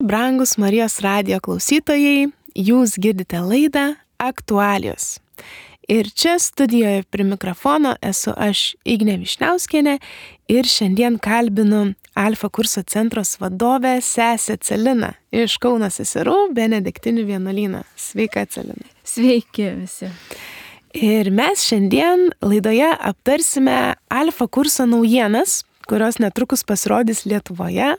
Brangus Marijos radijo klausytojai, jūs girdite laidą Aktualijos. Ir čia studijoje prie mikrofono esu aš Ignė Višniauskienė ir šiandien kalbinu Alfa kurso centros vadovę sesę Celiną iš Kauno seserų Benediktinių vienuolyno. Sveika, Celina. Sveiki visi. Ir mes šiandien laidoje aptarsime Alfa kurso naujienas, kurios netrukus pasirodys Lietuvoje.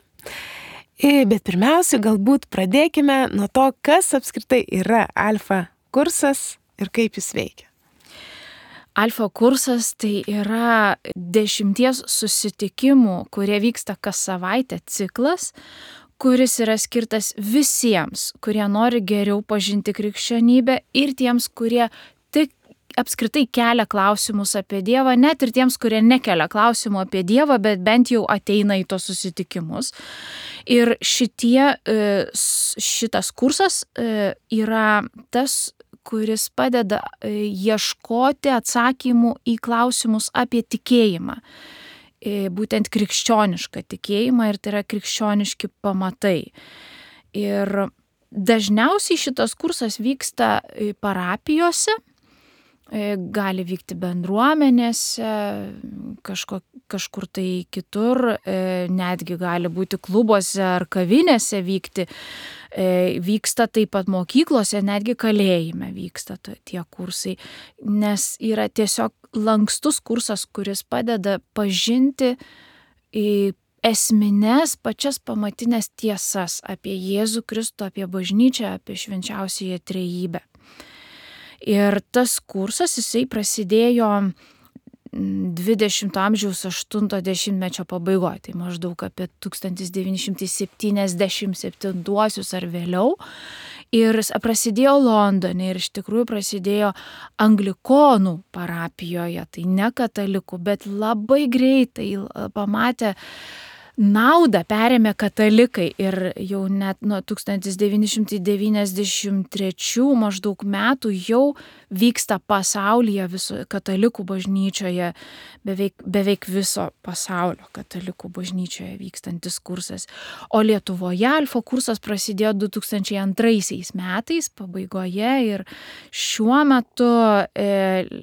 Bet pirmiausia, galbūt pradėkime nuo to, kas apskritai yra Alfa kursas ir kaip jis veikia. Alfa kursas tai yra 10 susitikimų, kurie vyksta kas savaitę ciklas, kuris yra skirtas visiems, kurie nori geriau pažinti krikščionybę ir tiems, kurie tik apskritai kelia klausimus apie Dievą, net ir tiems, kurie nekelia klausimų apie Dievą, bet bent jau ateina į tos susitikimus. Ir šitas kursas yra tas, kuris padeda ieškoti atsakymų į klausimus apie tikėjimą. Būtent krikščionišką tikėjimą ir tai yra krikščioniški pamatai. Ir dažniausiai šitas kursas vyksta parapijose, gali vykti bendruomenėse, kažkur tai kitur, netgi gali būti klubuose ar kavinėse vykti. Vyksta taip pat mokyklose, netgi kalėjime vyksta tie kursai, nes yra tiesiog lankstus kursas, kuris padeda pažinti esmines pačias pamatinės tiesas apie Jėzų Kristų, apie bažnyčią, apie švenčiausiąją trejybę. Ir tas kursas, jisai prasidėjo 20 amžiaus 80-mečio pabaigoje, tai maždaug apie 1977 ar vėliau. Ir prasidėjo Londone ir iš tikrųjų prasidėjo anglikonų parapijoje, tai ne katalikų, bet labai greitai pamatė naudą perėmė katalikai ir jau net nuo 1993 maždaug metų jau vyksta pasaulyje katalikų bažnyčioje, beveik viso pasaulio katalikų bažnyčioje vykstantis kursas. O Lietuvoje Alfa kursas prasidėjo 2002 metais pabaigoje ir šiuo metu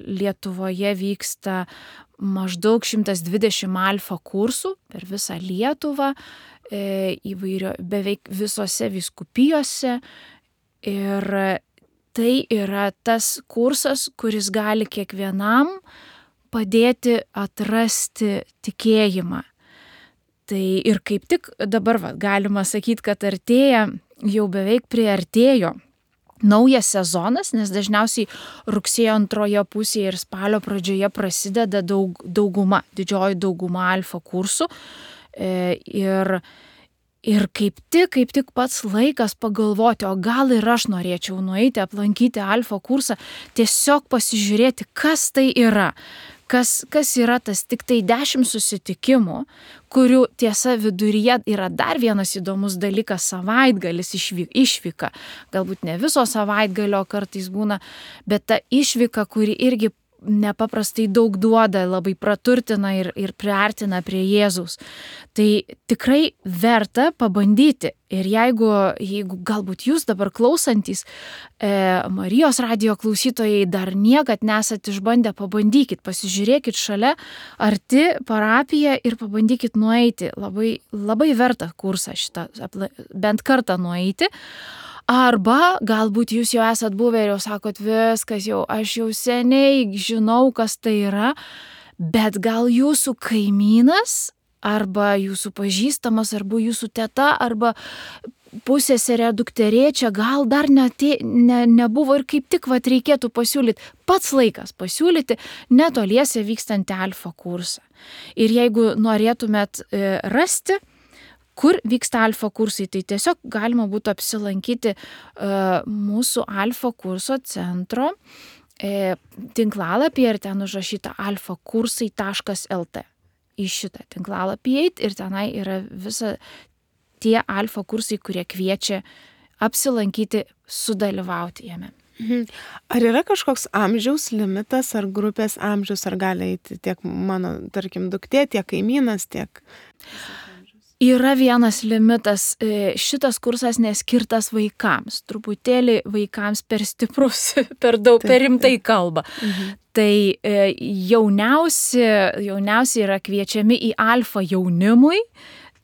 Lietuvoje vyksta maždaug 120 Alfa kursų per visą Lietuvą, beveik visose vyskupijose. Ir tai yra tas kursas, kuris gali kiekvienam padėti atrasti tikėjimą. Tai ir kaip tik dabar galima sakyti, kad jau beveik priartėjo naujas sezonas, nes dažniausiai rugsėjo antroje pusėje ir spalio pradžioje prasideda didžioji dauguma Alfa kursų. Ir kaip tik pats laikas pagalvoti, o gal ir aš norėčiau nueiti, aplankyti Alfa kursą, tiesiog pasižiūrėti, kas tai yra. Kas yra tas tik tai 10 susitikimų, kurių tiesa viduryje yra dar vienas įdomus dalykas - savaitgalis išvyka. Galbūt ne viso savaitgalio kartais būna, bet ta išvyka, kuri irgi nepaprastai daug duoda, labai praturtina ir priartina prie Jėzaus. Tai tikrai verta pabandyti. Ir jeigu galbūt jūs dabar klausantys Marijos radijo klausytojai dar niekad nesat išbandę, pabandykit, pasižiūrėkit šalia arti parapiją ir pabandykit nueiti. Labai, labai verta kursą šitą bent kartą nueiti. Arba galbūt jūs jau esat buvę ir jau sakot, viskas aš jau seniai žinau, kas tai yra, bet gal jūsų kaimynas, arba jūsų pažįstamas, arba jūsų teta, arba pusseserė dukterėčia, gal dar nebuvo ir kaip tik reikėtų pasiūlyti, pats laikas pasiūlyti netoliese vykstantį Alfa kursą. Ir jeigu norėtumėt rasti, kur vyksta Alfa kursai, tai tiesiog galima būtų apsilankyti mūsų Alfa kurso centro tinklalapyje ir ten užrašyta alfakursai.lt. Į šitą tinklalapį eiti ir tenai yra visa tie Alfa kursai, kurie kviečia apsilankyti, sudalyvauti jame. Ar yra kažkoks amžiaus limitas ar grupės amžius, ar gali eiti tiek mano, tarkim, duktė, tiek kaimynas, tiek... Yra vienas limitas, šitas kursas neskirtas vaikams, truputėlį vaikams per stiprus, per daug, per rimtai kalba. Tai jauniausi yra kviečiami į alfa jaunimui,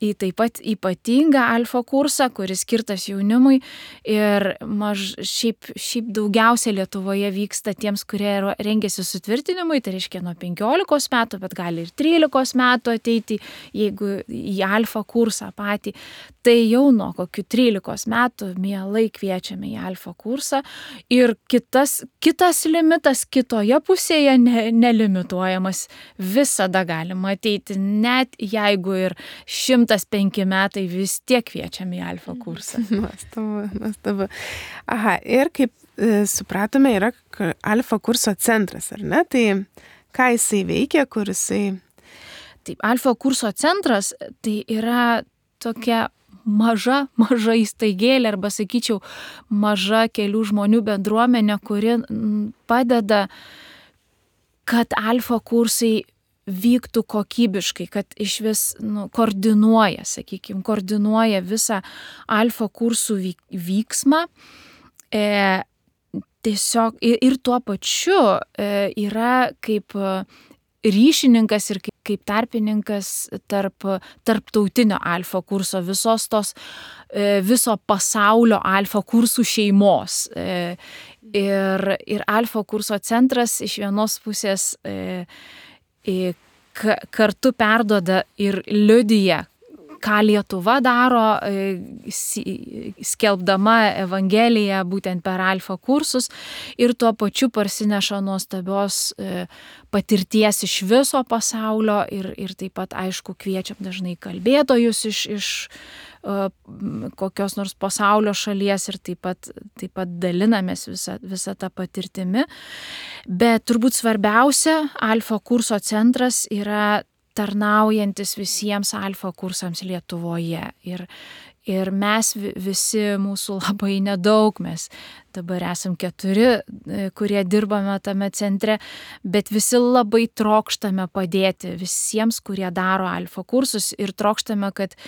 į taip pat ypatingą alfa kursą, kuris skirtas jaunimui ir šiaip daugiausia Lietuvoje vyksta tiems, kurie rengiasi sutvirtinimui, tai reiškia nuo 15 metų, bet gali ir 13 metų ateiti, jeigu į alfa kursą patį, tai jau nuo kokių 13 metų mielai kviečiame į alfa kursą ir kitas limitas kitoje pusėje nelimituojamas, visada galima ateiti, net jeigu ir 105 metai vis tiek kviečiame į alfa kursą. Nuostabu. Aha, ir kaip supratome, yra alfa kurso centras, ar ne? Tai ką jisai veikia, kur jisai... Taip, alfa kurso centras tai yra tokia maža įstaigėlė, arba sakyčiau, maža kelių žmonių bendruomenė, kuri padeda, kad alfa kursai vyktų kokybiškai, kad iš vis koordinuoja visą alfa kursų vyksmą. Tiesiog ir tuo pačiu yra kaip ryšininkas ir kaip tarpininkas tarptautinio alfa kurso, viso pasaulio alfa kursų šeimos. Ir alfa kurso centras iš vienos pusės kartu perduoda ir liudija, ką Lietuva daro, skelbdama Evangeliją būtent per alfa kursus ir tuo pačiu parsineša nuostabios patirties iš viso pasaulio ir taip pat, aišku, kviečiam dažnai kalbėtojus iš kokios nors pasaulio šalies ir taip pat dalinamės visą tą patirtimi. Bet turbūt svarbiausia, alfa kurso centras yra tarnaujantis visiems alfa kursams Lietuvoje. Ir mes visi, mūsų labai nedaug, mes dabar esam 4, kurie dirbame tame centre, bet visi labai trokštame padėti visiems, kurie daro alfa kursus ir trokštame, kad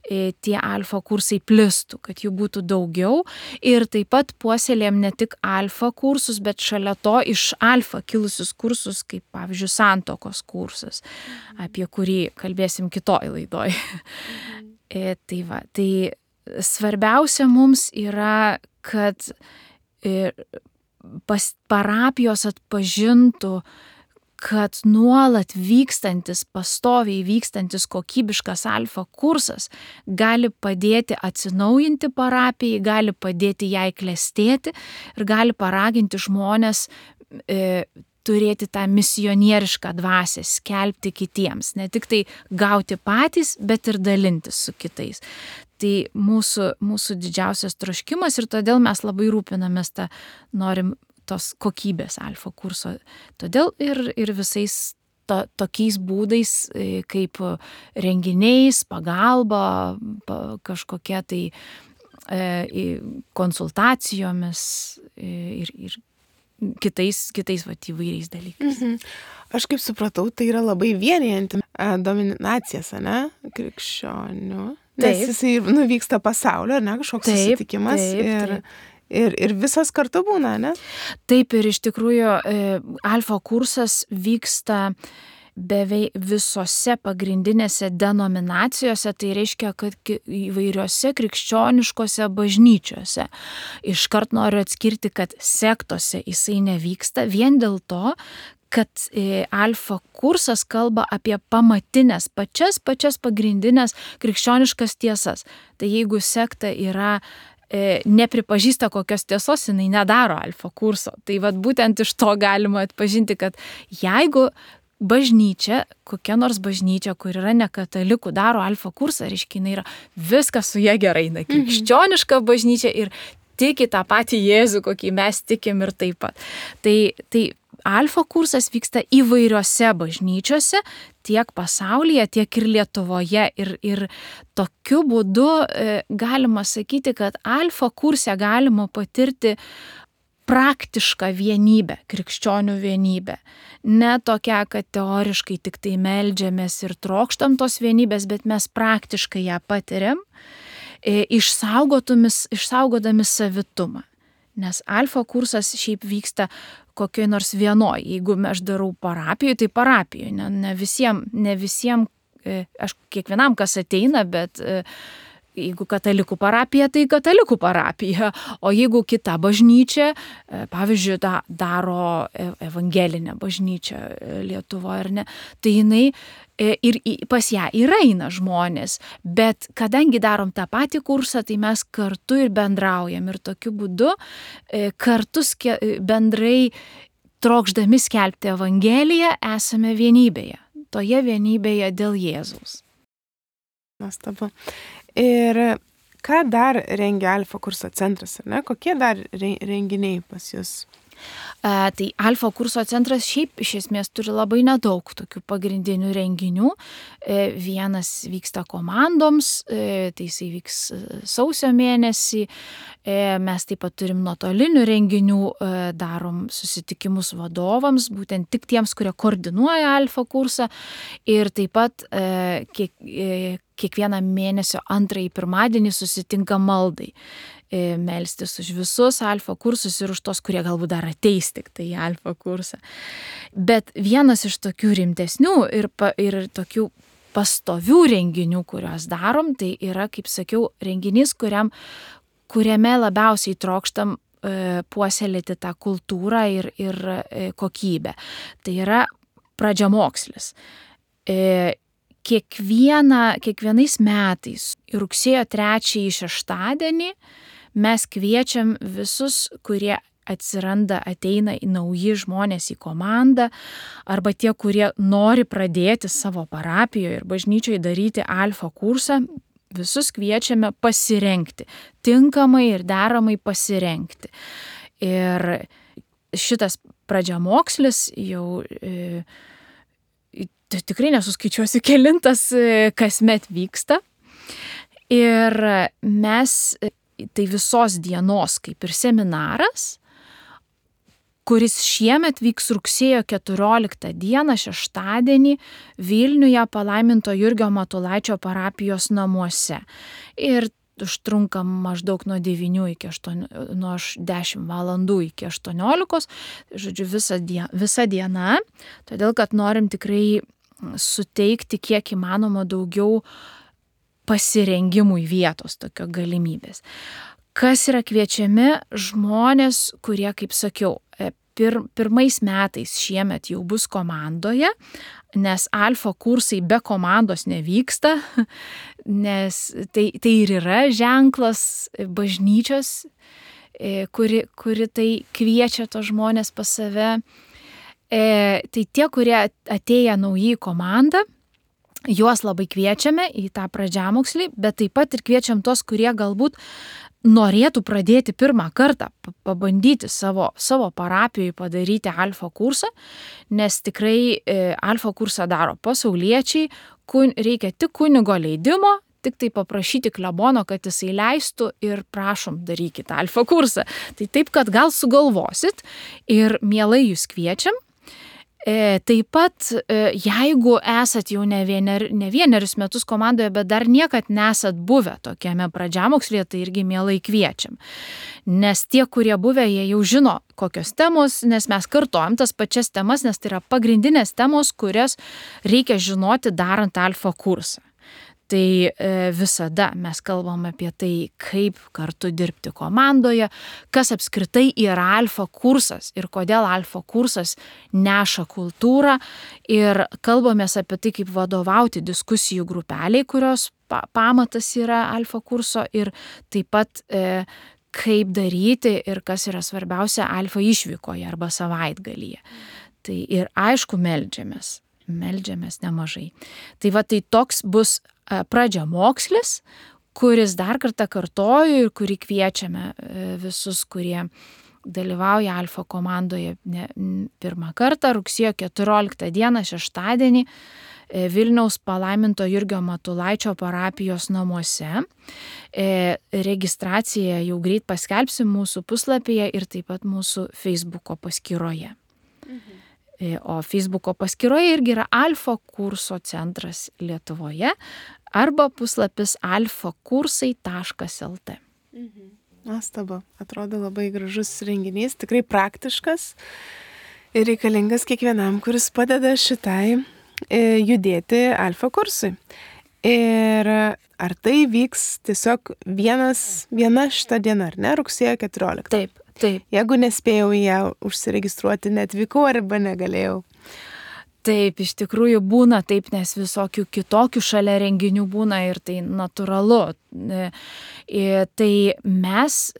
tie alfa kursai plistų, kad jų būtų daugiau ir taip pat puoselėjam ne tik alfa kursus, bet šalia to iš alfa kilusius kursus, kaip pavyzdžiui santuokos kursas, apie kurį kalbėsim kitoj laidoj. Tai svarbiausia mums yra, kad parapijos atpažintų, kad nuolat pastoviai vykstantis kokybiškas alfa kursas gali padėti atsinaujinti parapijai, gali padėti jai klestėti ir gali paraginti žmones turėti tą misionierišką dvasią, skelbti kitiems, ne tik tai gauti patys, bet ir dalintis su kitais. Tai mūsų didžiausias troškimas ir todėl mes labai rūpinamės norim tos kokybės alfa kurso. Todėl ir visais tokiais būdais, kaip renginiais, pagalba, kažkokia tai konsultacijomis ir kitais įvairiais dalykais. Aš kaip supratau, tai yra labai vienijanti dominacijas, ne, krikščionių. Nes jisai vyksta pasaulio, ne, kažkoks susitikimas ir visas kartu būna, ne? Taip, ir iš tikrųjų alfa kursas vyksta beveik visose pagrindinėse denominacijose, tai reiškia, kad įvairiose krikščioniškose bažnyčiose. Iškart noriu atskirti, kad sektose jisai nevyksta vien dėl to, kad alfa kursas kalba apie pamatinės, pačias pagrindinės krikščioniškas tiesas. Tai jeigu sekta yra nepripažįsta kokios tiesos, jinai nedaro alfa kurso. Tai vat būtent iš to galima atpažinti, kad jeigu bažnyčia, kokia nors bažnyčia, kur yra ne katalikų, daro alfa kursą, reiškia, jinai yra viskas su jie gerai, krikščioniška bažnyčia ir tiki tą patį Jėzų, kokį mes tikim ir taip pat. Tai alfa kursas vyksta įvairiose bažnyčiose, tiek pasaulyje, tiek ir Lietuvoje. Ir tokiu būdu galima sakyti, kad alfa kurse galima patirti praktišką vienybę, krikščionių vienybę. Ne tokia, kad teoriškai tik tai meldžiamės ir trokštam tos vienybės, bet mes praktiškai ją patiriam, išsaugodami savitumą. Nes alfa kursas šiaip vyksta kokioj nors vienoj. Jeigu aš darau parapijoje, tai parapijoje. Ne visiems, aš kiekvienam, kas ateina, bet jeigu katalikų parapija, tai katalikų parapija. O jeigu kita bažnyčia, pavyzdžiui, daro evangelinę bažnyčią Lietuvoje, ar ne, tai jinai ir pas ją ir eina žmonės. Bet kadangi darom tą patį kursą, tai mes kartu ir bendraujam. Ir tokiu būdu kartu bendrai trokšdami skelbti evangeliją esame vienybėje. Toje vienybėje dėl Jėzaus. Nuostabu. Ir ką dar rengia Alfa kurso centras, ar ne? Kokie dar renginiai pas jūs? Tai Alfa kurso centras šiaip iš esmės turi labai nedaug tokių pagrindinių renginių. Vienas vyksta komandoms, tai jisai vyks sausio mėnesį. Mes taip pat turim nuotolinių renginių, darom susitikimus vadovams, būtent tik tiems, kurie koordinuoja Alfa kursą. Ir taip pat kiekvieną mėnesio antrąjį pirmadienį susitinka maldai. Melstis už visus alfa kursus ir už tos, kurie galbūt dar ateis tik tai į alfa kursą. Bet vienas iš tokių rimtesnių ir tokių pastovių renginių, kuriuos darom, tai yra, kaip sakiau, renginys, kuriame labiausiai trokštam puoselėti tą kultūrą ir kokybę. Tai yra pradžiamokslis. Kiekvienais metais rugsėjo 3 šeštadienį mes kviečiam visus, kurie ateina nauji žmonės į komandą, arba tie, kurie nori pradėti savo parapijoje ir bažnyčioje daryti alfa kursą, visus kviečiame pasirengti, tinkamai ir deramai pasirengti. Ir šitas pradžiamokslis jau tikrai nesuskaičiuosiu kelintas kasmet vyksta. Ir mes tai visos dienos kaip ir seminaras, kuris šiemet vyks rugsėjo 14 dieną šeštadienį Vilniuje Palaiminto Jurgio Matulaičio parapijos namuose. Ir užtrunka maždaug nuo 10 valandų iki 18, žodžiu, visa diena, todėl kad norim tikrai suteikti kiek įmanoma daugiau pasirengimui vietos, tokio galimybės. Kas yra kviečiami žmonės, kurie, kaip sakiau, pirmais metais šiemet jau bus komandoje, nes alfa kursai be komandos nevyksta, nes tai ir yra ženklas bažnyčios, kuri tai kviečia tos žmonės pas save. Tai tie, kurie atėję nauji į komandą, juos labai kviečiame į tą pradžiamokslį, bet taip pat ir kviečiam tos, kurie galbūt norėtų pradėti pirmą kartą, pabandyti savo parapijoje padaryti alfa kursą, nes tikrai alfa kursą daro pasauliečiai, reikia tik kunigo leidimo, tik tai paprašyti klebono, kad jisai leistų ir prašom, darykit alfa kursą. Tai taip, kad gal sugalvosit ir mielai jūs kviečiam. Taip pat, jeigu esat jau ne vienerius metus komandoje, bet dar niekad nesat buvę tokiame pradžiamokslyje, tai irgi mielai kviečiam. Nes tie, kurie buvę, jie jau žino, kokios temos, nes mes kartojam tas pačias temas, nes tai yra pagrindinės temos, kurias reikia žinoti darant alfa kursą. Tai visada mes kalbam apie tai, kaip kartu dirbti komandoje, kas apskritai yra alfa kursas ir kodėl alfa kursas neša kultūrą, ir kalbamės apie tai, kaip vadovauti diskusijų grupeliai, kurios pamatas yra alfa kurso, ir taip pat kaip daryti ir kas yra svarbiausia alfa išvykoje arba savaitgalyje. Tai ir aišku, meldžiamės nemažai. Tai tai toks bus pradžiamokslis, kuris dar kartą kartoju ir kurį kviečiame visus, kurie dalyvauja alfa komandoje pirmą kartą rugsėjo 14 dieną šeštadienį Vilniaus palaiminto Jurgio Matulaičio parapijos namuose. Registraciją jau greit paskelbsim mūsų puslapyje ir taip pat mūsų Facebooko paskyroje. O Facebooko paskyroje irgi yra Alfa kurso centras Lietuvoje arba puslapis alfakursai.lt. Nuostabu, atrodo labai gražus renginys, tikrai praktiškas ir reikalingas kiekvienam, kuris padeda šitai judėti Alfa kursui. Ir ar tai vyks tiesiog viena šita diena, ar ne, rugsėjo 14? Taip. Jeigu nespėjau į ją užsiregistruoti, neatvykau arba negalėjau. Taip, iš tikrųjų būna taip, nes visokių kitokių šalia renginių būna ir tai natūralu. Tai mes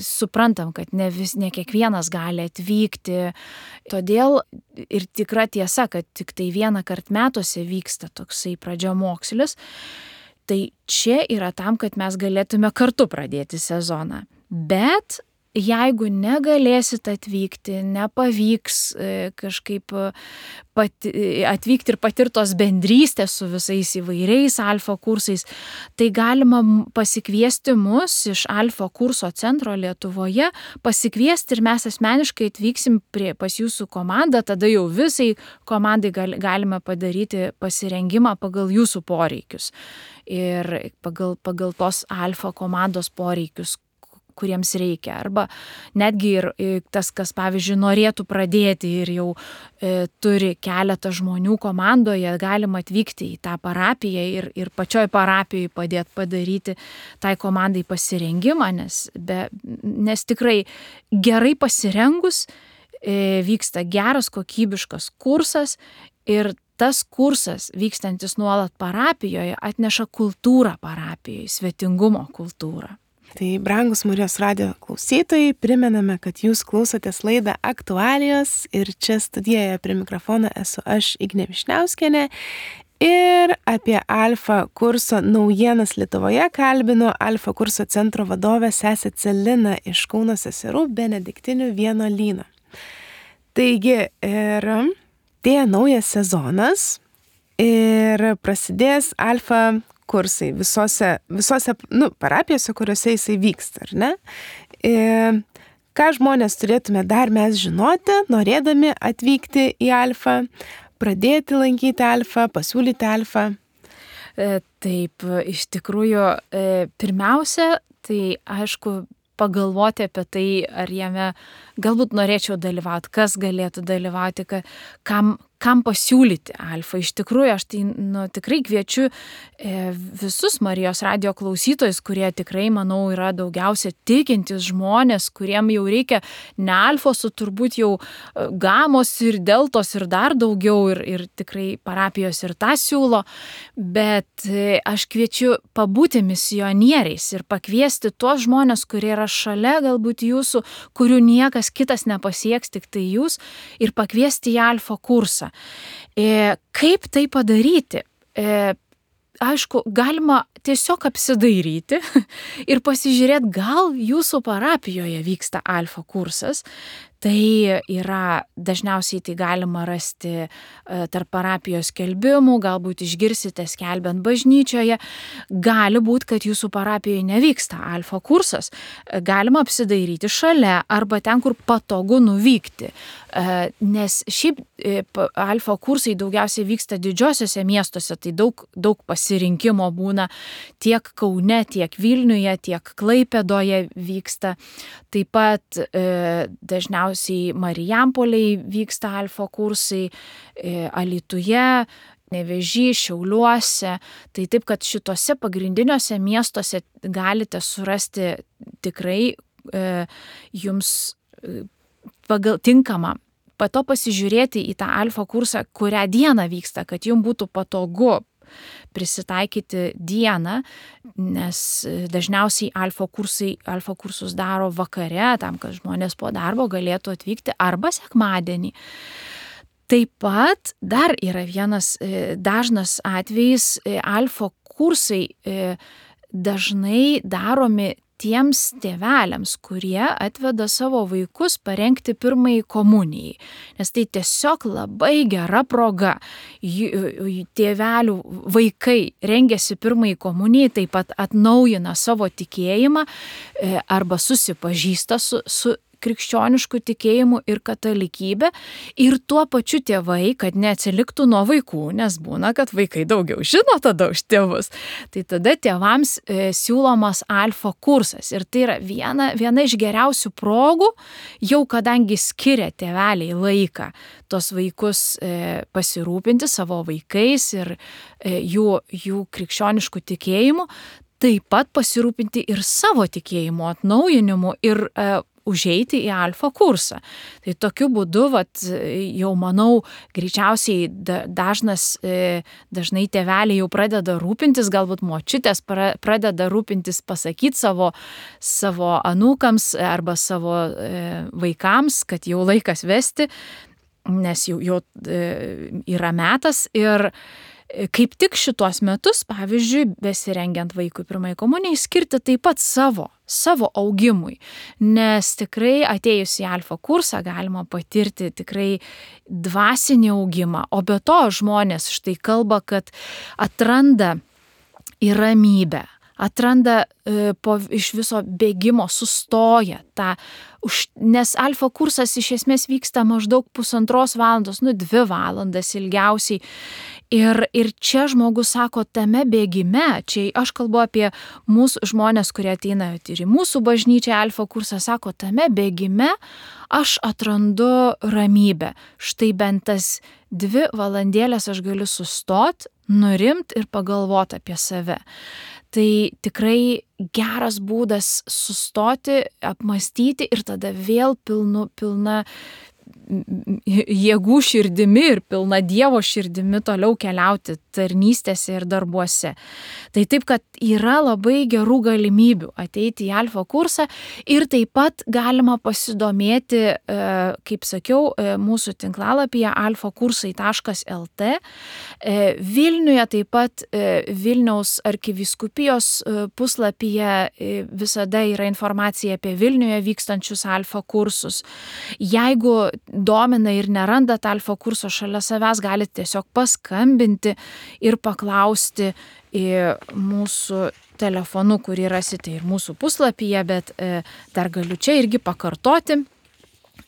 suprantam, kad ne kiekvienas gali atvykti, todėl ir tikra tiesa, kad tik tai vieną kartą metuose vyksta toksai pradžiamokslis. Tai čia yra tam, kad mes galėtume kartu pradėti sezoną. Bet jeigu negalėsit atvykti, nepavyks kažkaip atvykti ir patirtos bendrystės su visais įvairiais Alfa kursais, tai galima pasikviesti mus iš Alfa kurso centro Lietuvoje, pasikviesti ir mes asmeniškai atvyksim pas jūsų komandą, tada jau visai komandai galime padaryti pasirengimą pagal jūsų poreikius ir pagal tos Alfa komandos poreikius, kuriems reikia. Arba netgi ir tas, kas, pavyzdžiui, norėtų pradėti ir jau turi keletą žmonių komandoje, galima atvykti į tą parapiją ir pačioj parapijoje padėti padaryti tai komandai pasirengimą, nes tikrai gerai pasirengus vyksta geras, kokybiškas kursas ir tas kursas, vykstantis nuolat parapijoje, atneša kultūrą parapijoje, svetingumo kultūrą. Tai, brangus Marijos radijo klausytojai, primename, kad jūs klausotės laidą Aktualijos ir čia studijoje prie mikrofono esu aš, Ignė Višniauskienė, ir apie Alfa kurso naujienas Lietuvoje kalbinu Alfa kurso centro vadovę sesę Celiną iš Kauno seserų Benediktinių vienuolyno. Taigi, ir atėjo naujas sezonas ir prasidės Alfa kursai visose parapijose, kuriuose jisai vyksta, ar ne? Ką žmonės turėtume dar mes žinoti, norėdami atvykti į Alfa, pradėti lankyti Alfa, pasiūlyti Alfa? Taip, iš tikrųjų, pirmiausia, tai aišku, pagalvoti apie tai, ar jame galbūt norėčiau dalyvauti, kas galėtų dalyvauti, kam pasiūlyti Alfa. Iš tikrųjų, aš tai tikrai kviečiu visus Marijos radijo klausytojus, kurie tikrai, manau, yra daugiausia tikintys žmonės, kuriem jau reikia ne Alfos, o turbūt jau gamos ir deltos ir dar daugiau ir tikrai parapijos ir tą siūlo, bet aš kviečiu pabūti misionieriais ir pakviesti tuos žmonės, kurie yra šalia galbūt jūsų, kurių niekas kitas nepasieks, tik tai jūs, ir pakviesti į Alfa kursą. Kaip tai padaryti? Aišku, galima tiesiog apsidairyti ir pasižiūrėti, gal jūsų parapijoje vyksta Alfa kursas. Tai yra, dažniausiai tai galima rasti tarp parapijos skelbimų, galbūt išgirsite skelbiant bažnyčioje. Gali būti, kad jūsų parapijoje nevyksta Alfa kursas. Galima apsidairyti šalia arba ten, kur patogu nuvykti. Nes šiaip Alfa kursai daugiausiai vyksta didžiosiuose miestuose, tai daug pasirinkimo būna tiek Kaune, tiek Vilniuje, tiek Klaipėdoje vyksta. Taip pat dažniausiai Marijampolėje vyksta Alfa kursai, Alytuje, Nevėžy, Šiauliuose. Tai taip, kad šitose pagrindiniuose miestuose galite surasti tikrai jums pagal tinkamą. Po to pasižiūrėti į tą Alfa kursą, kurią dieną vyksta, kad jums būtų patogu prisitaikyti dieną, nes dažniausiai Alfa kursus daro vakare, tam, kad žmonės po darbo galėtų atvykti arba sekmadienį. Taip pat dar yra vienas dažnas atvejis, Alfa kursai dažnai daromi tiems tėveliams, kurie atveda savo vaikus parengti pirmąjį komunijai. Nes tai tiesiog labai gera proga. Tėvelių vaikai rengiasi pirmąjį komunijai, taip pat atnaujina savo tikėjimą arba susipažįsta su krikščionišku tikėjimu ir katalikybė, ir tuo pačiu tėvai, kad neatsiliktų nuo vaikų, nes būna, kad vaikai daugiau žino tada už tėvus. Tai tada tėvams siūlomas alfa kursas, ir tai yra viena iš geriausių progų, jau kadangi skiria tėveliai laiką tos vaikus pasirūpinti savo vaikais ir jų krikščionišku tikėjimu, taip pat pasirūpinti ir savo tikėjimo atnaujinimu ir užeiti į alfa kursą. Tai tokiu būdu, jau manau, greičiausiai dažnai tėveliai jau pradeda rūpintis, galbūt močiutės pradeda rūpintis pasakyti savo anūkams arba savo vaikams, kad jau laikas vesti, nes jau yra metas. Ir kaip tik šitos metus, pavyzdžiui, besirengiant vaikui pirmai komunijai, skirti taip pat savo augimui, nes tikrai atėjus į alfa kursą galima patirti tikrai dvasinį augimą, o be to žmonės štai kalba, kad atranda į ramybę, atranda iš viso bėgimo, sustoja nes alfa kursas iš esmės vyksta maždaug 1,5 valandos, 2 valandas ilgiausiai. Ir čia žmogus sako, tame bėgime, čia aš kalbu apie mūsų žmonės, kurie ateina ir į mūsų bažnyčią alfa kursą, sako, tame bėgime aš atrandu ramybę. Štai bent tas 2 valandėlės aš galiu sustoti, nurimti ir pagalvoti apie save. Tai tikrai geras būdas sustoti, apmąstyti ir tada vėl pilna jėgų širdimi ir pilna Dievo širdimi toliau keliauti tarnystėse ir darbuose. Tai taip, kad yra labai gerų galimybių ateiti į alfa kursą ir taip pat galima pasidomėti, kaip sakiau, mūsų tinklalapyje alfakursai.lt. Vilniuje taip pat Vilniaus arkivyskupijos puslapyje visada yra informacija apie Vilniuje vykstančius alfa kursus. Jeigu domina ir nerandat alfa kurso šalia savęs, galite tiesiog paskambinti ir paklausti mūsų telefonu, kurį rasite ir mūsų puslapyje, bet dar galiu čia irgi pakartoti.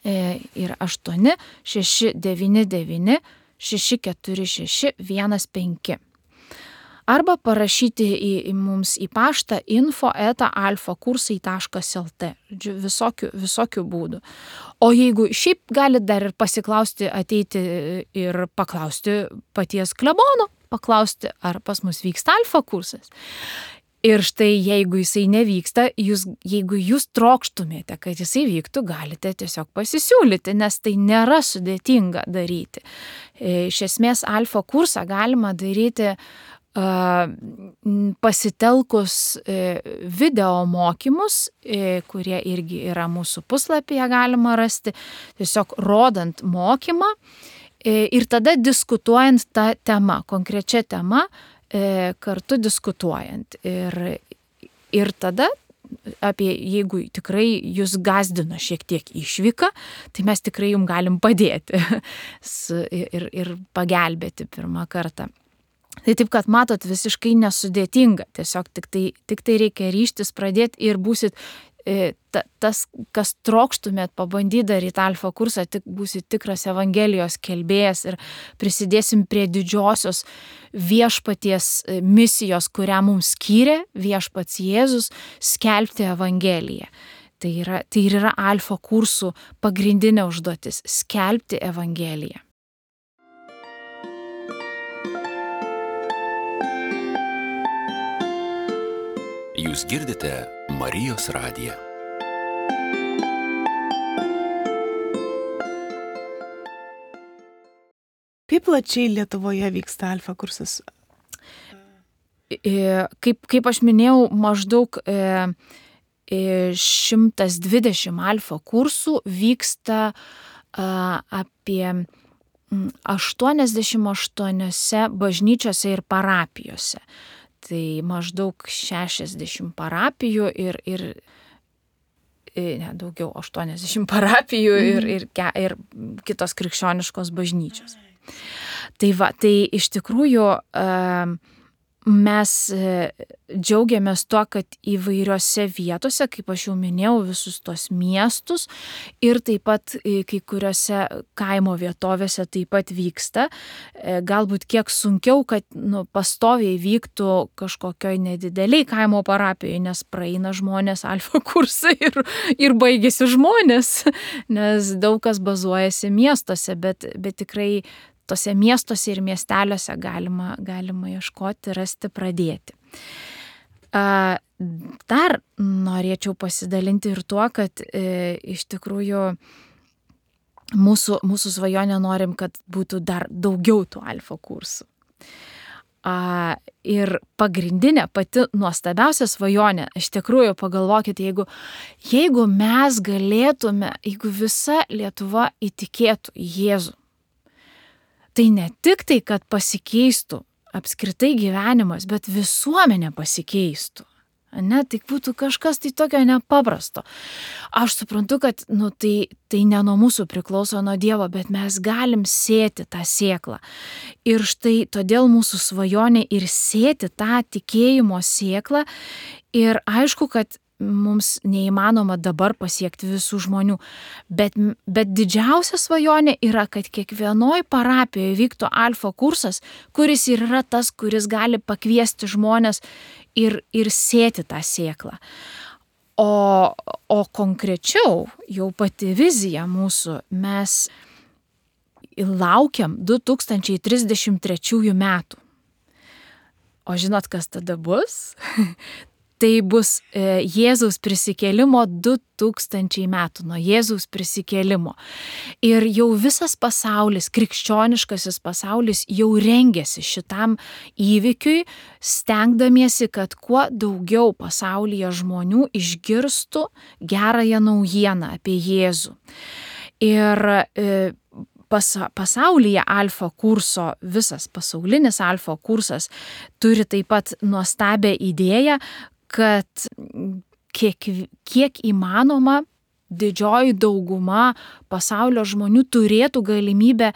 Ir 8 699 646 15. Arba parašyti mums į paštą info@alfakursai.lt. Visokių būdų. O jeigu šiaip galite dar ir pasiklausti, ateiti ir paklausti paties klebono, paklausti, ar pas mus vyksta alfa kursas. Ir štai jeigu jisai nevyksta, jeigu jūs trokštumėte, kad jisai vyktų, galite tiesiog pasisiūlyti, nes tai nėra sudėtinga daryti. Iš esmės alfa kursą galima daryti pasitelkus video mokymus, kurie irgi yra mūsų puslapyje galima rasti, tiesiog rodant mokymą ir tada diskutuojant tą temą, konkrečią temą, kartu diskutuojant. Ir tada jeigu tikrai jūs gazdino šiek tiek išvyka, tai mes tikrai jums galim padėti ir pagelbėti pirmą kartą. Tai taip, kad matot, visiškai nesudėtinga, tiesiog tik tai reikia ryžtis pradėti ir būsit tas, kas trokštumėt pabandyti daryti alfa kursą, tik būsit tikras Evangelijos kelbėjas ir prisidėsim prie didžiosios viešpaties misijos, kurią mums skyrė viešpats Jėzus, skelbti Evangeliją. Tai ir yra alfa kursų pagrindinė užduotis - skelbti Evangeliją. Jūs girdite Marijos radiją. Kaip plačiai Lietuvoje vyksta alfa kursas? Kaip aš minėjau, maždaug 120 alfa kursų vyksta apie 88 bažnyčiose ir parapijose. Tai maždaug 60 parapijų ir ne, daugiau 80 parapijų ir kitos krikščioniškos bažnyčios. Tai iš tikrųjų mes džiaugiamės tuo, kad įvairiose vietose, kaip aš jau minėjau, visus tos miestus ir taip pat kai kuriuose kaimo vietovėse taip pat vyksta. Galbūt kiek sunkiau, kad pastoviai vyktų kažkokioj nedideliai kaimo parapijoje, nes praeina žmonės alfa kursą ir baigėsi žmonės, nes daug kas bazuojasi miestuose, bet tikrai tose miestuose ir miesteliuose galima ieškoti, rasti, pradėti. Dar norėčiau pasidalinti ir tuo, kad iš tikrųjų mūsų svajonė norim, kad būtų dar daugiau tų alfa kursų. Ir pagrindinė, pati nuostabiausia svajonė, iš tikrųjų pagalvokite, jeigu mes galėtume, jeigu visa Lietuva įtikėtų į Jėzų, tai ne tik tai, kad pasikeistų apskritai gyvenimas, bet visuomenė pasikeistų. Ne, tai būtų kažkas tai tokio nepaprasto. Aš suprantu, kad tai ne nuo mūsų priklauso, nuo Dievo, bet mes galim sėti tą sėklą. Ir štai todėl mūsų svajonė ir sėti tą tikėjimo sėklą. Ir aišku, kad mums neįmanoma dabar pasiekti visų žmonių, bet didžiausia svajonė yra, kad kiekvienoj parapijoje vyktų alfa kursas, kuris ir yra tas, kuris gali pakviesti žmonės ir sėti tą sėklą. O konkrečiau, jau pati vizija mūsų, mes laukiam 2033 metų. O žinot, kas tada bus? Tai bus Jėzaus prisikėlimo 2000 metų, nuo Jėzaus prisikėlimo. Ir jau visas pasaulis, krikščioniškasis pasaulis jau rengiasi šitam įvykiui, stengdamiesi, kad kuo daugiau pasaulyje žmonių išgirstų gerąją naujieną apie Jėzų. Ir pasaulyje alfa kurso, visas pasaulinis alfa kursas turi taip pat nuostabią idėją, kad kiek įmanoma didžioji dauguma pasaulio žmonių turėtų galimybę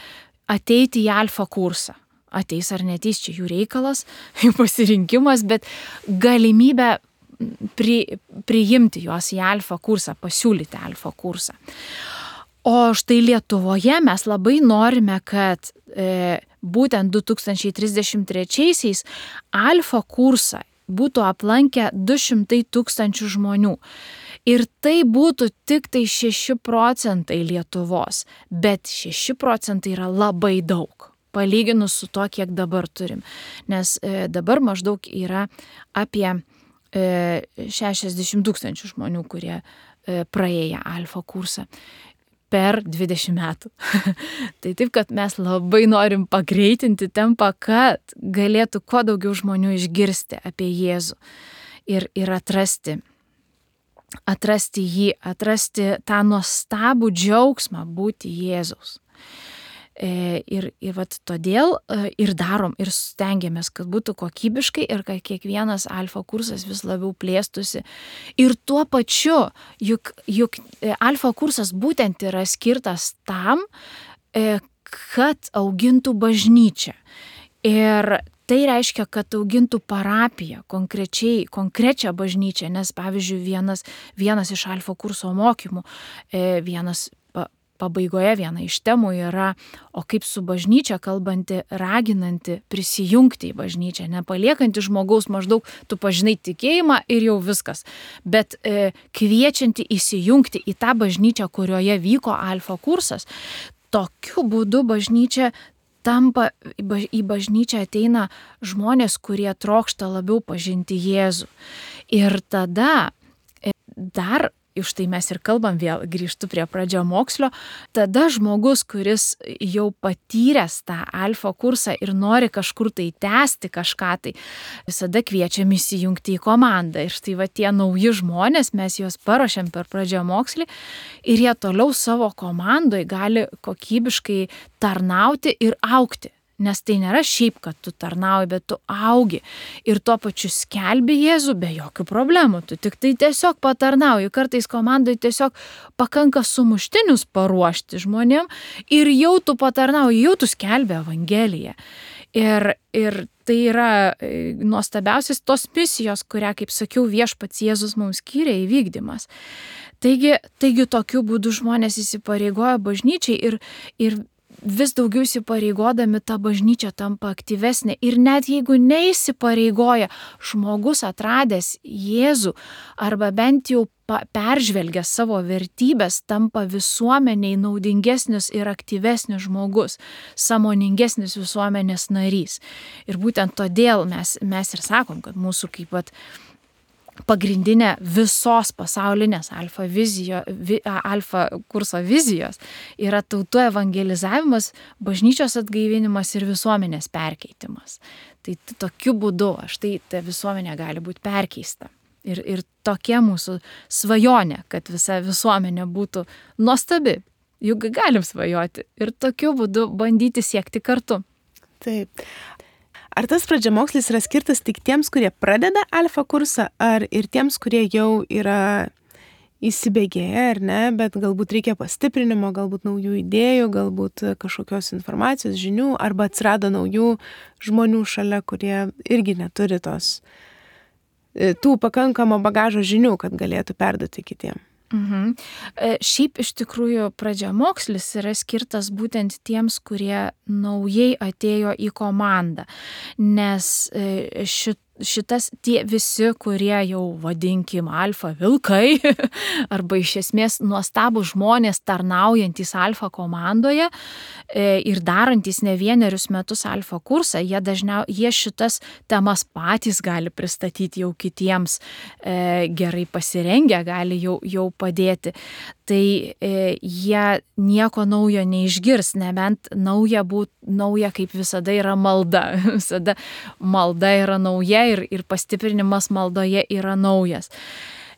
ateiti į alfa kursą. Ateis ar neteis, čia jų reikalas, jų pasirinkimas, bet galimybę priimti juos į alfa kursą, pasiūlyti alfa kursą. O štai Lietuvoje mes labai norime, kad būtent 2033 alfa kursą būtų aplankę 200 000 žmonių. Ir tai būtų tik tai 6% Lietuvos, bet 6% yra labai daug, palyginus su to, kiek dabar turim. Nes dabar maždaug yra apie 60 000 žmonių, kurie praėję alfa kursą per 20 metų. Tai taip, kad mes labai norim pagreitinti tempą, kad galėtų kuo daugiau žmonių išgirsti apie Jėzų ir atrasti jį, atrasti tą nuostabų džiaugsmą būti Jėzaus. Ir vat todėl ir darom, ir stengiamės, kad būtų kokybiškai ir kad kiekvienas alfa kursas vis labiau plėstųsi. Ir tuo pačiu, juk alfa kursas būtent yra skirtas tam, kad augintų bažnyčią. Ir tai reiškia, kad augintų parapiją, konkrečią bažnyčią, nes pavyzdžiui vienas iš alfa kurso mokymų, pabaigoje viena iš temų yra, o kaip su bažnyčia kalbanti, raginanti prisijungti į bažnyčią, nepaliekanti žmogaus maždaug, tu pažinai tikėjimą ir jau viskas, bet kviečianti įsijungti į tą bažnyčią, kurioje vyko alfa kursas. Tokiu būdu bažnyčia tampa, į bažnyčią ateina žmonės, kurie trokšta labiau pažinti Jėzų. Ir tada dar iš tai mes ir kalbam, vėl grįžtu prie pradžiamokslio, tada žmogus, kuris jau patyręs tą alfa kursą ir nori kažkur tai tęsti kažką, tai visada kviečiam įsijungti į komandą. Ir štai va tie nauji žmonės, mes juos paruošiam per pradžiamokslį ir jie toliau savo komandoje gali kokybiškai tarnauti ir augti. Nes tai nėra šiaip, kad tu tarnauji, bet tu augi ir tuo pačiu skelbi Jėzų be jokių problemų. Tu tik tai tiesiog patarnauji. Kartais komandai tiesiog pakanka sumuštinius paruošti žmonėm ir jau tu patarnauji, jau tu skelbi Evangeliją. Ir tai yra nuostabiausias tos misijos, kurią, kaip sakiau, viešpats Jėzus mums skyrė įvykdymas. Taigi tokiu būdu žmonės įsipareigoja bažnyčiai ir vis daugiau įsipareigodami ta bažnyčia tampa aktyvesnė. Ir net jeigu neįsipareigoja, žmogus atradęs Jėzų arba bent jau peržvelgęs savo vertybės, tampa visuomeniai naudingesnis ir aktyvesnis žmogus, sąmoningesnis visuomenės narys. Ir būtent todėl mes ir sakom, kad mūsų kaip pagrindinė visos pasaulinės alfa kurso vizijos yra tautų evangelizavimas, bažnyčios atgaivinimas ir visuomenės perkeitimas. Tai tokiu būdu ta visuomenė gali būti perkeista. Ir tokia mūsų svajonė, kad visa visuomenė būtų nuostabi. Juk galim svajoti ir tokiu būdu bandyti siekti kartu. Taip. Ar tas pradžiamokslis yra skirtas tik tiems, kurie pradeda alfa kursą, ar ir tiems, kurie jau yra įsibėgėję, ar ne, bet galbūt reikia pastiprinimo, galbūt naujų idėjų, galbūt kažkokios informacijos, žinių, arba atsirado naujų žmonių šalia, kurie irgi neturi tų pakankamo bagažo žinių, kad galėtų perduoti kitiem? Šiaip iš tikrųjų pradžiamokslis yra skirtas būtent tiems, kurie naujai atėjo į komandą, nes tie visi, kurie jau vadinkim alfa vilkai arba iš esmės nuostabūs žmonės tarnaujantys alfa komandoje ir darantys ne vienerius metus alfa kursą, jie šitas temas patys gali pristatyti jau kitiems gerai pasirengę, gali jau padėti. Tai jie nieko naujo neišgirs, nebent nauja kaip visada yra malda. Visada malda yra nauja ir pastiprinimas maldoje yra naujas.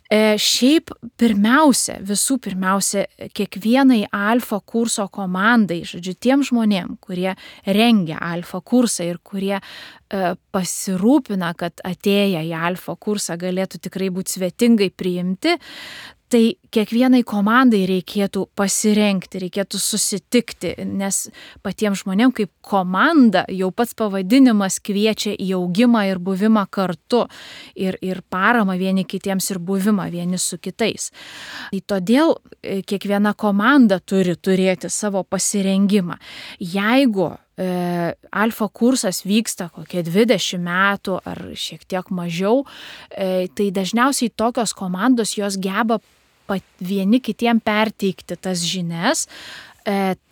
Šiaip visų pirmiausia, kiekvienai alfa kurso komandai, tiem žmonėm, kurie rengia alfa kursą ir kurie pasirūpina, kad atėję į alfa kursą galėtų tikrai būti svetingai priimti, tai kiekvienai komandai reikėtų pasirengti, reikėtų susitikti, nes patiems žmonėms kaip komanda jau pats pavadinimas kviečia į augimą ir buvimą kartu ir paramą vieni kitiems ir buvimą vieni su kitais. Tai todėl kiekviena komanda turi turėti savo pasirengimą. Jeigu alfa kursas vyksta kokie 20 metų ar šiek tiek mažiau, tai dažniausiai tokios komandos jos geba vieni kitiem perteikti tas žinias,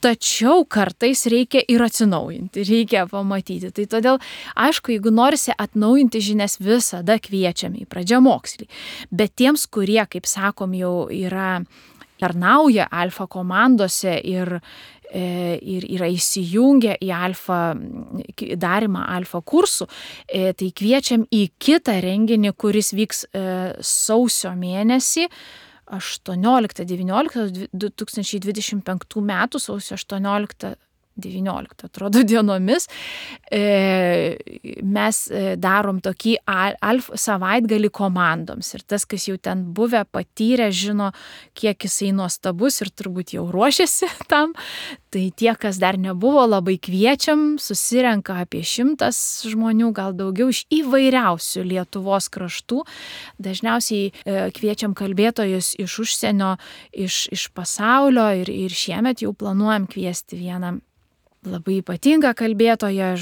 tačiau kartais reikia ir atsinaujinti, reikia pamatyti. Tai todėl, aišku, jeigu norisi atnaujinti žinias, visada kviečiame į pradžiamokslį. Bet tiems, kurie, kaip sakom, jau tarnauja alfa komandose ir yra įsijungę į darymą alfa kursų, tai kviečiam į kitą renginį, kuris vyks sausio mėnesį, 18-19 2025 metų, sausio 18-19, atrodo, dienomis. Mes darom tokį savaitgalį komandoms ir tas, kas jau ten buvę, patyrę, žino, kiek jisai nuostabus ir turbūt jau ruošiasi tam. Tai tie, kas dar nebuvo, labai kviečiam, susirenka apie 100 žmonių, gal daugiau iš įvairiausių Lietuvos kraštų. Dažniausiai kviečiam kalbėtojus iš užsienio, iš pasaulio ir šiemet jau planuojam kviesti vieną labai ypatingą kalbėtoją,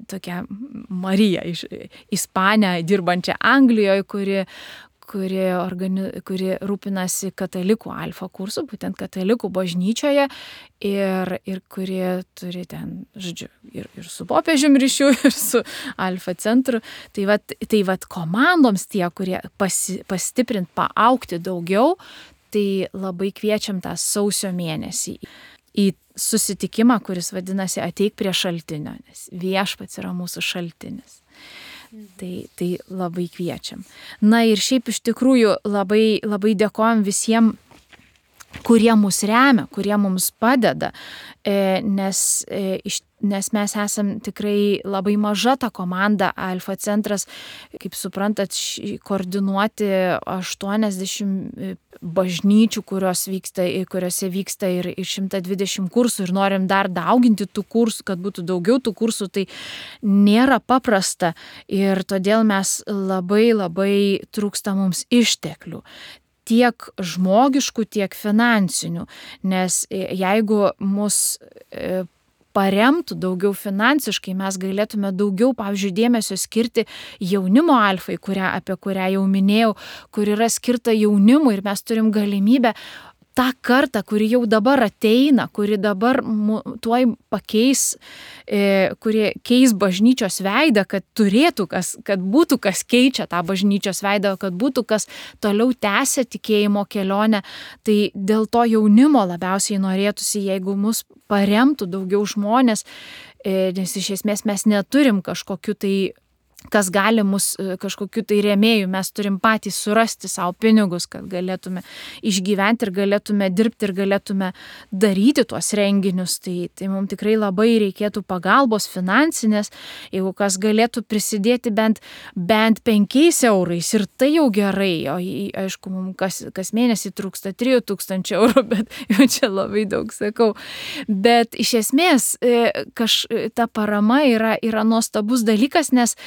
tokia Marija iš Ispanę, dirbančią Anglijoje, kuri rūpinasi katalikų alfa kursų, būtent katalikų bažnyčioje ir kuri turi ten, ir su popiežium ryšių, ir su alfa centru. Tai vat komandoms tie, kurie pastiprint, paaugti daugiau, tai labai kviečiam tą sausio mėnesį į susitikimą, kuris vadinasi Ateik prie šaltinio, nes viešpats yra mūsų šaltinis. Tai labai kviečiam. Na ir šiaip iš tikrųjų labai, labai dėkojam visiems, kurie mus remia, kurie mums padeda, nes nes mes esam tikrai labai maža ta komanda. Alfa centras, kaip suprantat, koordinuoti 80 bažnyčių, kuriuose vyksta ir 120 kursų ir norim dar dauginti tų kursų, kad būtų daugiau tų kursų, tai nėra paprasta ir todėl mes labai trūksta mums išteklių. Tiek žmogiškų, tiek finansinių, nes jeigu mus paremtų daugiau finansiškai, mes galėtume daugiau, pavyzdžiui, dėmesio skirti jaunimo alfai, apie kurią jau minėjau, kur yra skirta jaunimui ir mes turim galimybę tą kartą, kuri jau dabar ateina, kuri dabar tuoj pakeis, kurie keis bažnyčios veidą, kad būtų kas keičia tą bažnyčios veidą, kad būtų kas toliau tęsia tikėjimo kelionę. Tai dėl to jaunimo labiausiai norėtųsi, jeigu mus paremtų daugiau žmonės, nes iš esmės mes neturim kažkokiu tai kas gali mus kažkokiu tai rėmėjų, mes turim patys surasti savo pinigus, kad galėtume išgyventi ir galėtume dirbti ir galėtume daryti tuos renginius. Tai mums tikrai labai reikėtų pagalbos finansinės, jeigu kas galėtų prisidėti bent 5 eurais ir tai jau gerai, o aišku, mums kas mėnesį trūksta 3000 eurų, bet jau čia labai daug sakau. Bet iš esmės ta parama yra nuostabus dalykas, nes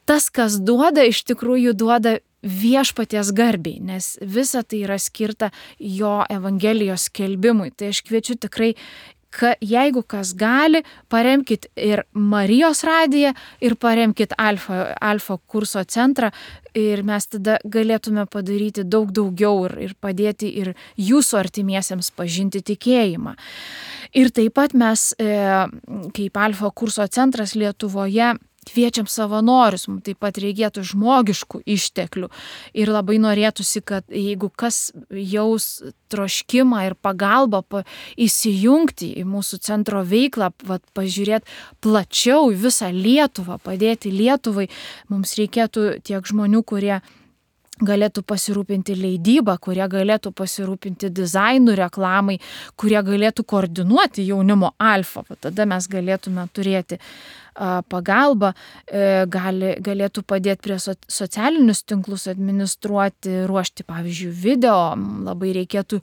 tas, kas duoda, iš tikrųjų duoda viešpaties garbiai, nes visa tai yra skirta jo evangelijos skelbimui. Tai aš kviečiu tikrai, jeigu kas gali, paremkit ir Marijos radiją ir paremkit Alfa kurso centrą ir mes tada galėtume padaryti daug daugiau ir padėti ir jūsų artimiesiems pažinti tikėjimą. Ir taip pat mes, kaip Alfa kurso centras Lietuvoje, kviečiam savanorius, mums taip pat reikėtų žmogiškų išteklių ir labai norėtųsi, kad jeigu kas jaus troškimą ir pagalbą įsijungti į mūsų centro veiklą, pažiūrėti plačiau visą Lietuvą, padėti Lietuvai, mums reikėtų tiek žmonių, kurie galėtų pasirūpinti leidybą, kurie galėtų pasirūpinti dizainų, reklamai, kurie galėtų koordinuoti jaunimo alfa. Tada mes galėtume turėti pagalbą, galėtų padėti prie socialinius tinklus administruoti, ruošti, pavyzdžiui, video, labai reikėtų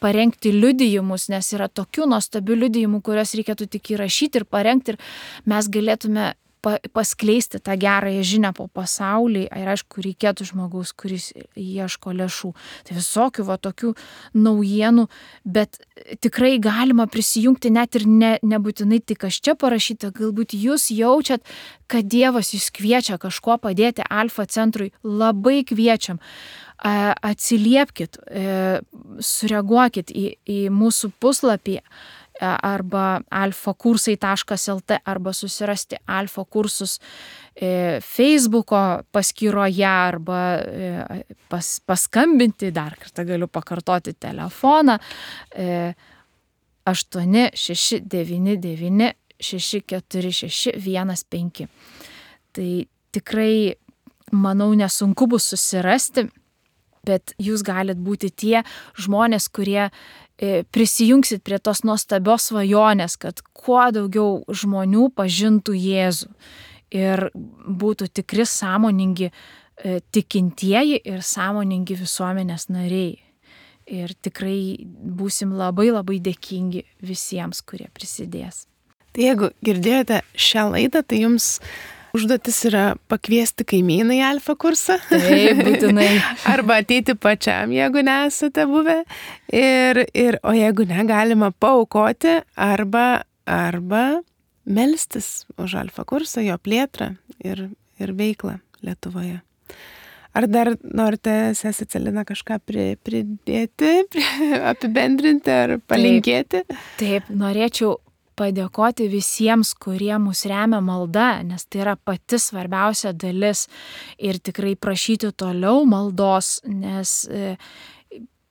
parengti liudijimus, nes yra tokių nuostabių liudijimų, kuriuos reikėtų tik įrašyti ir parengti ir mes galėtume paskleisti tą gerąją žinią po pasaulį ir aišku, reikėtų žmogaus, kuris ieško lėšų. Tai visokių tokių naujienų, bet tikrai galima prisijungti net ir nebūtinai tik aš čia parašyta, galbūt jūs jaučiat, kad Dievas jūs kviečia kažko padėti Alfa centrui, labai kviečiam. Atsiliepkit, sureaguokit į mūsų puslapį arba alfakursai.lt arba susirasti Alfa kursus Facebooko paskyroje arba paskambinti, dar kartą galiu pakartoti telefoną 8699 646 15. Tai tikrai, manau, nesunku bus susirasti, bet jūs galit būti tie žmonės, kurie prisijungsit prie tos nuostabios svajonės, kad kuo daugiau žmonių pažintų Jėzų ir būtų tikri sąmoningi tikintieji ir sąmoningi visuomenės nariai. Ir tikrai būsim labai dėkingi visiems, kurie prisidės. Tai jeigu girdėjote šią laidą, tai jums užduotis yra pakviesti kaimyną į Alfa kursą. Taip, būtinai. Arba ateiti pačiam, jeigu nesate buvę. O jeigu ne, galima paaukoti arba melstis už Alfa kursą, jo plėtrą ir veiklą Lietuvoje. Ar dar norite, sesė Celina, kažką pridėti, apibendrinti ar palinkėti? Taip, norėčiau padėkoti visiems, kurie mus remia malda, nes tai yra pati svarbiausia dalis ir tikrai prašyti toliau maldos, nes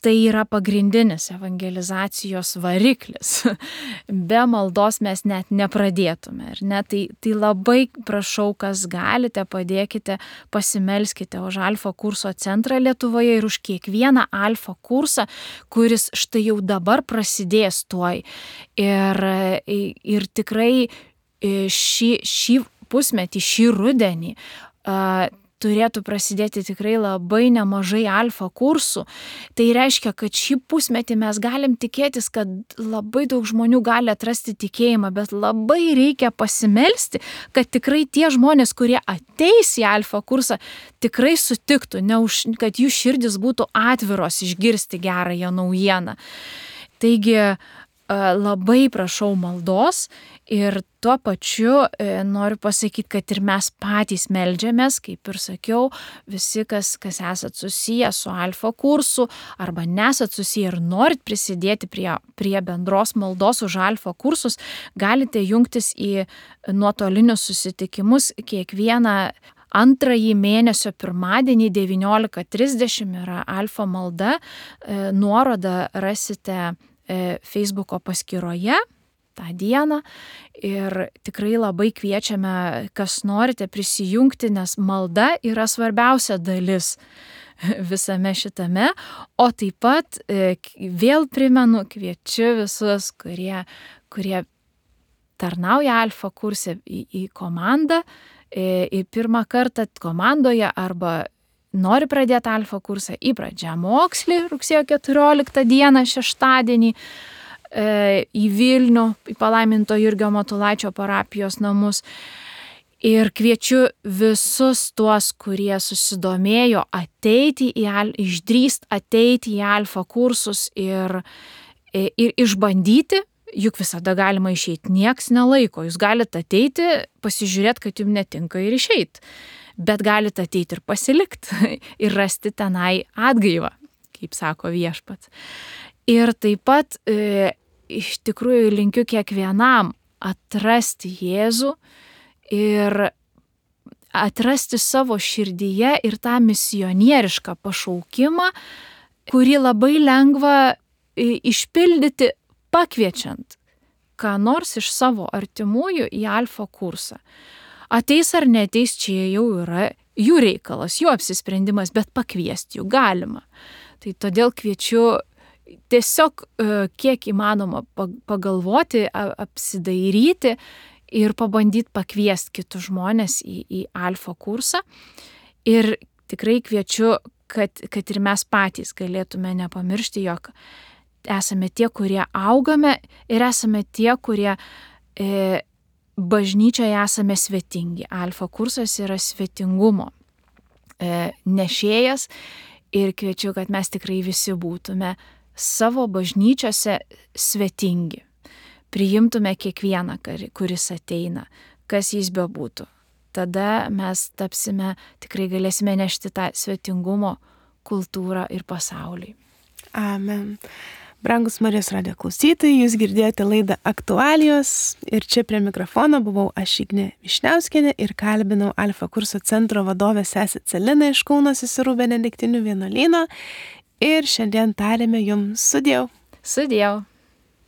tai yra pagrindinis evangelizacijos variklis. Be maldos mes net nepradėtume. Tai labai prašau, kas galite, padėkite, pasimelskite už Alfa kurso centrą Lietuvoje ir už kiekvieną Alfa kursą, kuris štai jau dabar prasidės tuoj. Ir tikrai šį pusmetį, šį rudenį turėtų prasidėti tikrai labai nemažai Alfa kursų. Tai reiškia, kad šį pusmetį mes galim tikėtis, kad labai daug žmonių gali atrasti tikėjimą, bet labai reikia pasimelsti, kad tikrai tie žmonės, kurie ateis į Alfa kursą, tikrai sutiktų, kad jų širdis būtų atviros išgirsti gerąją naujieną. Taigi labai prašau maldos ir tuo pačiu noriu pasakyti, kad ir mes patys meldžiamės, kaip ir sakiau, visi, kas esat susiję su Alfa kursu arba nesat susiję ir norit prisidėti prie bendros maldos už Alfa kursus, galite jungtis į nuotolinius susitikimus kiekvieną antrąjį mėnesio pirmadienį 19:30 yra Alfa malda, nuorodą rasite Facebooko paskyroje tą dieną ir tikrai labai kviečiame, kas norite prisijungti, nes malda yra svarbiausia dalis visame šitame, o taip pat vėl primenu, kviečiu visus, kurie tarnauja Alfa kurse į komandą, į pirmą kartą komandoje arba nori pradėti Alfa kursą į pradžiamokslį rugsėjo 14 dieną šeštadienį į Vilnių, į palaiminto Jurgio Matulaičio parapijos namus. Ir kviečiu visus tuos, kurie susidomėjo išdrįst ateiti į Alfa kursus ir išbandyti, juk visada galima išeiti, nieks nelaiko. Jūs galite ateiti, pasižiūrėti, kad jums netinka ir išeiti. Bet galite ateiti ir pasilikti ir rasti tenai atgaivą, kaip sako viešpats. Ir taip pat iš tikrųjų linkiu kiekvienam atrasti Jėzų ir atrasti savo širdyje ir tą misionierišką pašaukimą, kurį labai lengva išpildyti pakviečiant ką nors iš savo artimųjų į Alfa kursą. Ateis ar neteis, čia jau yra jų reikalas, jų apsisprendimas, bet pakviesti jų galima. Tai todėl kviečiu tiesiog kiek įmanoma pagalvoti, apsidairyti ir pabandyti pakviesti kitus žmonės į Alfa kursą. Ir tikrai kviečiu, kad ir mes patys galėtume nepamiršti, jog esame tie, kurie augame ir esame tie, kurie bažnyčioje esame svetingi. Alfa kursas yra svetingumo nešėjas ir kviečiu, kad mes tikrai visi būtume savo bažnyčiose svetingi. Priimtume kiekvieną, kuris ateina, kas jis bebūtų. Tada mes tikrai galėsime nešti tą svetingumo kultūrą ir pasauliui. Amen. Brangus Marijos radijo klausytojai, jūs girdėjote laidą Aktualijos ir čia prie mikrofono buvau aš Ignė Višniauskienė ir kalbinau Alfa kurso centro vadovę sesę Celiną iš Kauno Seserų Benediktinių vienuolyno ir šiandien tarėme jums sudieu. Sudieu.